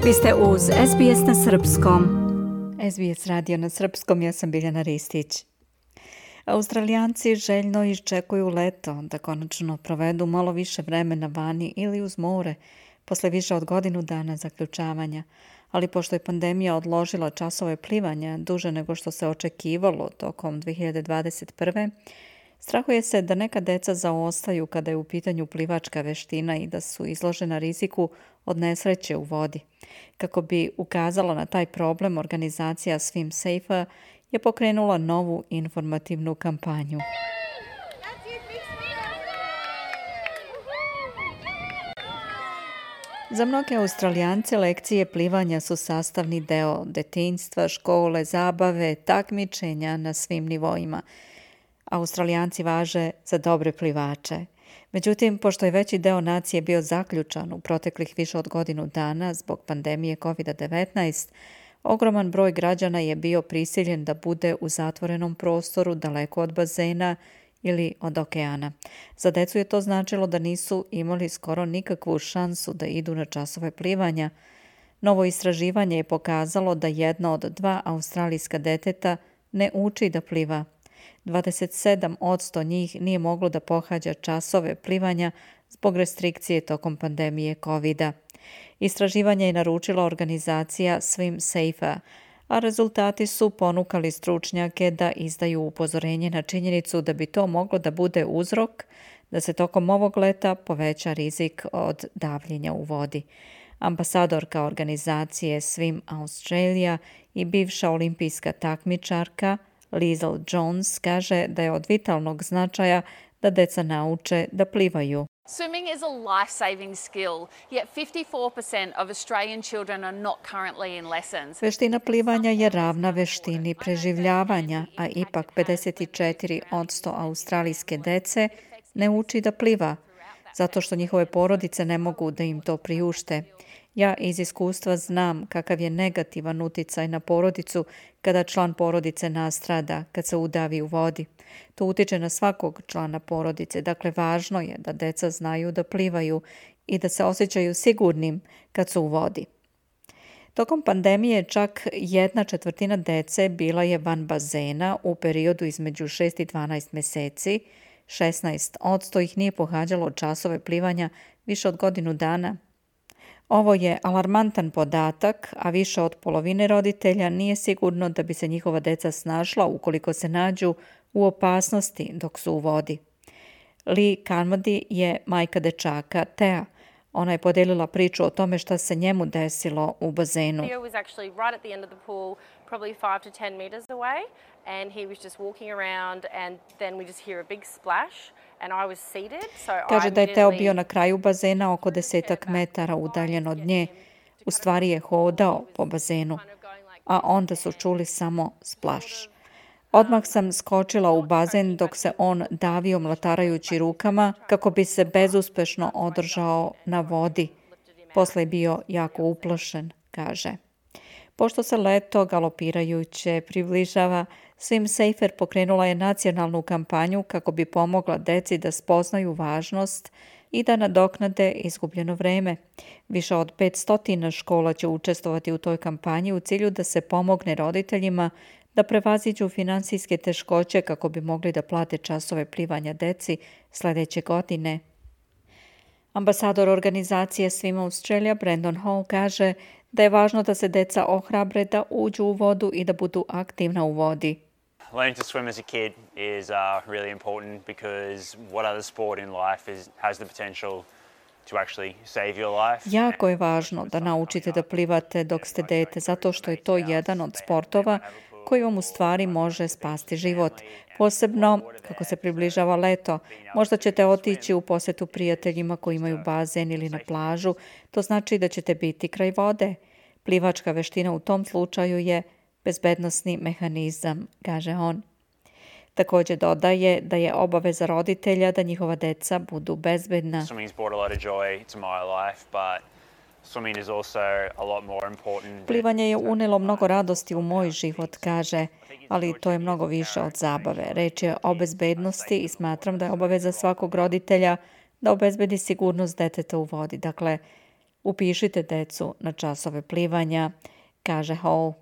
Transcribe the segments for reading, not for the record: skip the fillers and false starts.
Vi ste uz SBS na srpskom. SBS radio na srpskom, ja sam Biljana Ristić. Australijanci željno iščekuju leto da konačno provedu malo više vremena vani ili uz more posle više od godinu dana zaključavanja. Ali pošto je pandemija odložila časove plivanja duže nego što se očekivalo tokom 2021. strahuje se da neka deca zaostaju kada je u pitanju plivačka veština i da su izložena riziku od nesreće u vodi. Kako bi ukazala na taj problem, organizacija Swim Safer je pokrenula novu informativnu kampanju. Za mnoge Australijance lekcije plivanja su sastavni deo detinjstva, škole, zabave, takmičenja na svim nivoima. Australijanci važe za dobre plivače. Međutim, pošto je veći deo nacije bio zaključan u proteklih više od godinu dana zbog pandemije COVID-19, ogroman broj građana je bio prisiljen da bude u zatvorenom prostoru daleko od bazena ili od okeana. Za decu je to značilo da nisu imali skoro nikakvu šansu da idu na časove plivanja. Novo istraživanje je pokazalo da jedno od 2 australijska deteta ne uči da pliva. 27% njih nije moglo da pohađa časove plivanja zbog restrikcije tokom pandemije COVID-a. Istraživanje je naručila organizacija Swim Safer, a rezultati su ponukali stručnjake da izdaju upozorenje na činjenicu da bi to moglo da bude uzrok da se tokom ovog leta poveća rizik od davljenja u vodi. Ambasadorka organizacije Swim Australia i bivša olimpijska takmičarka Liesl Jones kaže da je od vitalnog značaja da deca nauče da plivaju. Swimming is a life-saving skill, yet 54% of Australian children are not currently in lessons. Veština plivanja je ravna veštini preživljavanja, a ipak 54% australijske dece ne uči da pliva, zato što njihove porodice ne mogu da im to priušte. Ja iz iskustva znam kakav je negativan uticaj na porodicu kada član porodice nastrada, kad se udavi u vodi. To utiče na svakog člana porodice, dakle važno je da deca znaju da plivaju i da se osjećaju sigurnim kad su u vodi. Tokom pandemije čak 1/4 dece bila je van bazena u periodu između 6 i 12 meseci. 16% ih nije pohađalo časove plivanja više od godinu dana. Ovo je alarmantan podatak, a više od polovine roditelja nije sigurno da bi se njihova deca snašla ukoliko se nađu u opasnosti dok su u vodi. Lee Carmody je majka dečaka Thea. Ona je podelila priču o tome šta se njemu desilo u bazenu. Theo was actually right at the end of the pool, probably 5 to 10 meters away, and he was just walking around, and then we just hear a big splash, and I was seated, so Kaže da je Teo bio na kraju bazena oko 10 metara udaljen od nje. U stvari je hodao po bazenu, a onda su čuli samo splaš. Odmah sam skočila u bazen dok se on davio mlatarajući rukama kako bi se bezuspešno održao na vodi. Posle je bio jako uplašen, kaže. Pošto se leto galopirajuće približava, Swim Safer pokrenula je nacionalnu kampanju kako bi pomogla deci da spoznaju važnost i da nadoknade izgubljeno vreme. Više od 500 škola će učestvovati u toj kampanji u cilju da se pomogne roditeljima da prevaziđu finansijske teškoće kako bi mogli da plate časove plivanja deci sledeće godine. Ambasador organizacije Swim Australia Brandon Hall kaže da je važno da se deca ohrabre da uđu u vodu i da budu aktivna u vodi. Learning to swim as a kid is really important because what other sport in life has the potential to actually save your life. Jako je važno da naučite da plivate dok ste dete, zato što je to jedan od sportova koji vam u stvari može spasti život. Posebno kako se približava leto. Možda ćete otići u posetu prijateljima koji imaju bazen ili na plažu. To znači da ćete biti kraj vode. Plivačka veština u tom slučaju je bezbednosni mehanizam, kaže on. Također dodaje da je obaveza roditelja da njihova deca budu bezbedna. Plivanje je unelo mnogo radosti u moj život, kaže, ali to je mnogo više od zabave. Reč je o bezbednosti i smatram da je obaveza svakog roditelja da obezbedi sigurnost deteta u vodi. Dakle, Upišite decu na časove plivanja, kaže Hall.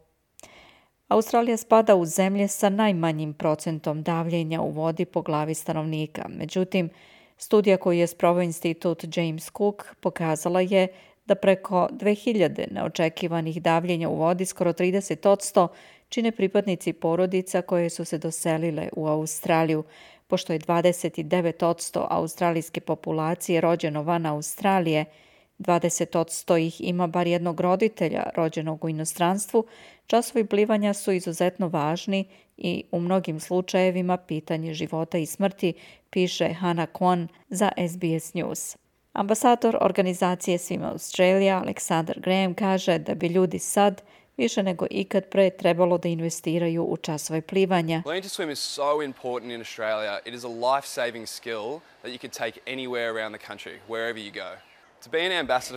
Australija spada u zemlje sa najmanjim procentom davljenja u vodi po glavi stanovnika. Međutim, studija koju je sproveo institut James Cook pokazala je da preko 2000 neočekivanih davljenja u vodi, skoro 30%, čine pripadnici porodica koje su se doselile u Australiju, pošto je 29% australijske populacije rođeno van Australije, 20% ih ima bar jednog roditelja rođenog u inostranstvu, časovi plivanja su izuzetno važni i u mnogim slučajevima pitanje života i smrti, piše Hannah Kwon za SBS News. Ambasador organizacije Swim Australia, Alexander Graham, kaže da bi ljudi sad više nego ikad pre trebalo da investiraju u časove plivanja. Learning to swim is so important in Australia. It is a life-saving skill that you can take anywhere around the country, wherever you go.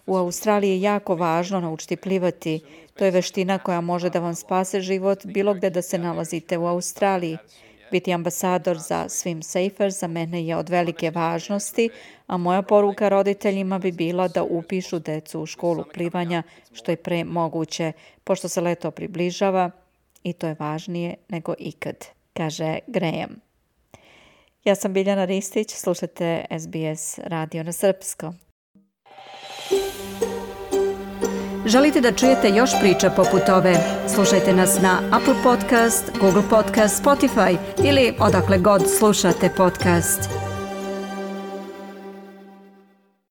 U Australiji je jako važno naučiti plivati. To je veština koja može da vam spase život bilo gde da se nalazite u Australiji. Biti ambasador za Swim Safer za mene je od velike važnosti, a moja poruka roditeljima bi bila da upišu decu u školu plivanja što je pre moguće, pošto se leto približava i to je važnije nego ikad, kaže Graham. Ja sam Biljana Ristić, slušate SBS radio na srpskom. Želite da čujete još priča poput ove? Slušajte nas na Apple Podcast, Google Podcast, Spotify ili odakle god slušate podcast.